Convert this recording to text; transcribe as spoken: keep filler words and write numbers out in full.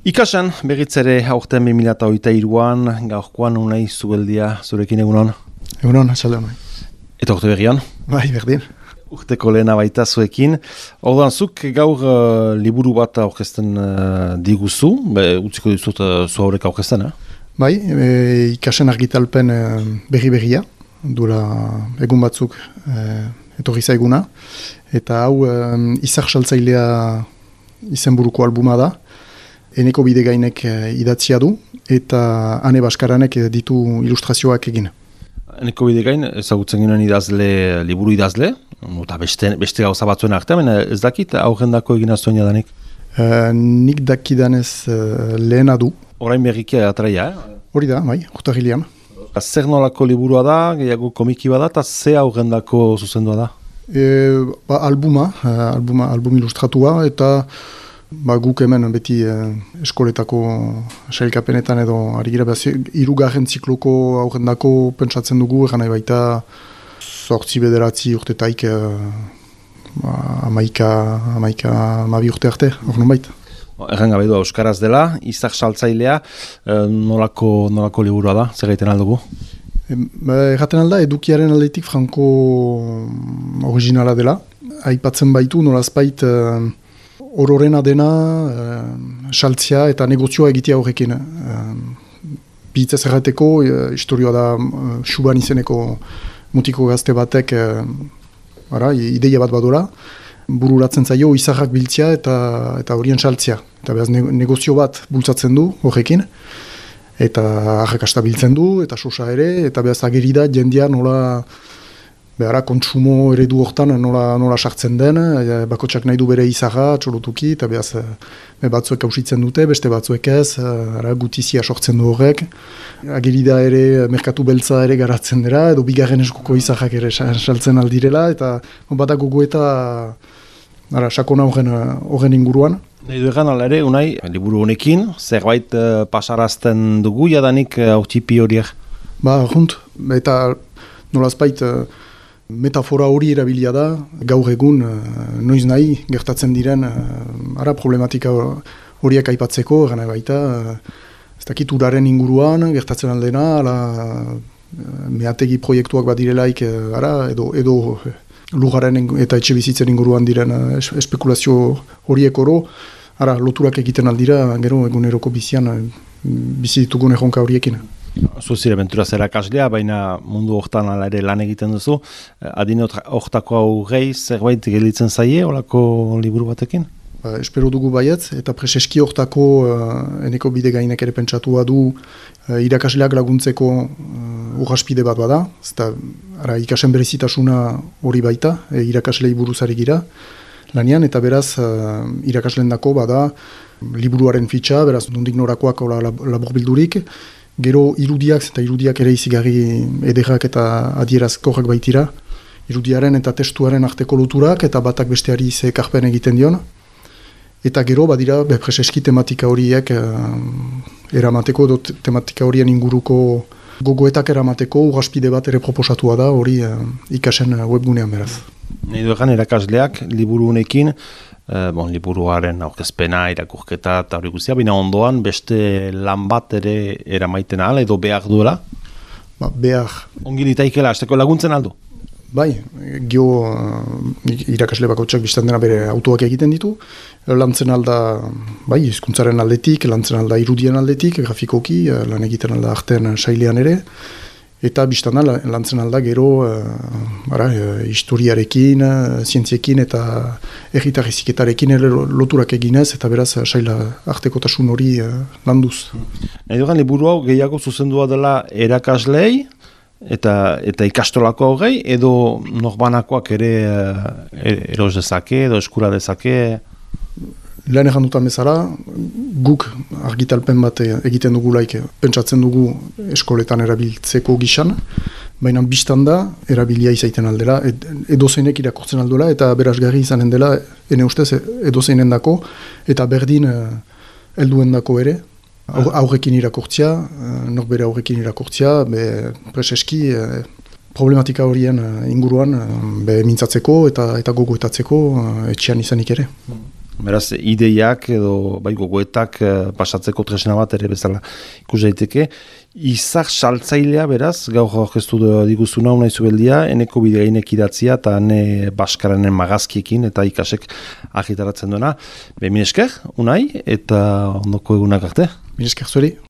Ikasen, berritzere aurten bi mila hogeita hiruan, gaurkoan unai zubeldia zurekin egunon. Egunon, asalde honai. Eta urte berrian? Bai, berdin. Urteko lehena baita zuekin. Orduan, zuk gaur uh, liburu bat aurkezten uh, diguzu, be, utziko dizut uh, zu haurek aurkezten, eh? Bai, e, ikasen argitalpen e, berri-berria, duela egun batzuk e, etorri zaiguna, eta hau e, izar saltzailea izenburuko albuma da, Eneko Bidegainek idatzia du, eta Ane Baskaranek ditu ilustrazioak egin. Eneko Bidegain, ezagutzen ginen idazle, liburu idazle, eta beste, beste gauza batzuen artean, ez dakit aurrendako egina zuen jadanik? E, nik dakidanez e, lehena du. Orain berrikia atraia, eh? Hori da, bai, urtarrilean. Zer nolako liburua da, gehiago komiki bada, eta ze aurrendako zuzendua da? E, ba, albuma, albuma, album ilustratua, eta ba, guk hemen beti eh, eskoletako sailkapenetan edo ari gira behaz, irugarren zikloko aurrendako pentsatzen dugu, egan nahi baita zortzi bederatzi urtetaik eh, ba, amaika, amaika amabi urte arte, hor non baita. Erren gabe du euskaraz dela, izar saltzailea, eh, nolako, nolako liburua da, zer gaiten aldugu? Erraten alda, edukiaren aldetik franko originala dela, aipatzen baitu nolazpait eh, ororena dena, eh, saltzia eta negozioa egitea horrekin. Eh, Bihitzez errateko, eh, historioa da eh, Xuban izeneko mutiko gazte batek eh, ara, ideia bat badora, bururatzen zaio izarrak biltzea eta eta horien saltzea. Eta behaz negozio bat bultzatzen du horrekin, eta arrakasta biltzen du, eta sosa ere, eta behaz ageri da jendia nola behara kontsumo eredu hortan nola, nola sartzen den, e, bakotsak nahi du bere izarra, txolotuki, eta behaz e, batzuek hausitzen dute, beste batzuek ez, ara, gutizia sortzen du horrek. Ageri da ere merkatu beltza ere garatzen dira, edo bigarren eskuko izarrak ere saltzen aldirela, eta bada gogo eta ara, sakona horren, horren inguruan. Nahi du egan, ala ere, unai, liburu honekin, zerbait uh, pasarazten dugu, jadanik uh, autxipi horiek? Ba, junt, eta nolazpait uh, metafora hori erabilia da, gaur egun, uh, noiz nahi, gertatzen diren, uh, ara problematika horiek aipatzeko, gana baita, uh, ez dakit uraren inguruan, gertatzen aldena, ala, uh, meategi proiektuak bat direlaik, uh, ara, edo, edo uh, lugaren eta etxe bizitzen inguruan diren uh, espekulazio horiek oro, ara, loturak egiten aldira, gero eguneroko bizian, bizi ditugun erronka horiekin. Zuzire benturaz erakaslea, baina mundu hortan ala ere lan egiten duzu. Adine hortako aurrei zerbait gelditzen zaie, olako liburu batekin? Ba, espero dugu baietz, eta preseski hortako uh, Eneko Bidegainek ere pentsatua du uh, irakasleak laguntzeko uh, urraspide bat bada, zeta ara, ikasen berezitasuna hori baita, e, irakaslei buruzari gira, lanian, eta beraz uh, irakasleen dako bada liburuaren fitxa, beraz nondik norakoak labur bildurik, gero irudiak eta irudiak ere izigarri ederrak eta adierazkorrak baitira, irudiaren eta testuaren arteko loturak eta batak besteari ze ekarpen egiten dion, eta gero badira preseski tematika horiek uh, eramateko edo tematika horien inguruko gogoetak eramateko urraspide bat ere proposatua da hori uh, ikasen webgunean beraz. Nahi du egan erakasleak liburu honekin, eh, bon, liburuaren aurkezpena, irakurketa eta hori guztia, baina ondoan beste lan bat ere eramaiten ahal edo behar duela? Ba, behar. Ongi litaikela, azteko laguntzen aldu? Bai, gio uh, irakasle bakotxak biztan dena bere autoak egiten ditu, lantzen alda, bai, hizkuntzaren aldetik, lantzen alda irudien aldetik, grafikoki, uh, lan egiten alda artean sailean ere, eta biztan da, lantzen alda gero uh, ara, uh, historiarekin, uh, zientziekin eta erritarriziketarekin ere loturak eginez, eta beraz uh, saila artekotasun hori uh, landuz. Nahi dugan liburu hau gehiago zuzendua dela erakaslei, eta eta ikastolako hogei, edo norbanakoak ere uh, eros dezake, edo eskura dezake? Lehen egan dutan bezala, guk argitalpen bat egiten dugulaik, pentsatzen dugu eskoletan erabiltzeko gisan, baina biztan da, erabilia izaiten aldela, ed, edozeinek irakurtzen aldola, eta berazgarri izanen dela, ene ustez, edozeinen dako, eta berdin helduen dako ere, aurrekin irakurtzia, norbere aurrekin irakurtzia, be preseski problematika horien inguruan be mintzatzeko eta eta gogoetatzeko etxean izanik ere. Beraz, ideiak edo bai gogoetak pasatzeko tresna bat ere bezala ikus daiteke. Izar saltzailea beraz, gaur aurkeztu diguzuna unai zubeldia, eneko bidegainek idatzia eta ene baskaranen magazkiekin eta ikasek argitaratzen duena. Be, min esker, unai, eta ondoko egunak arte. Min esker zuri.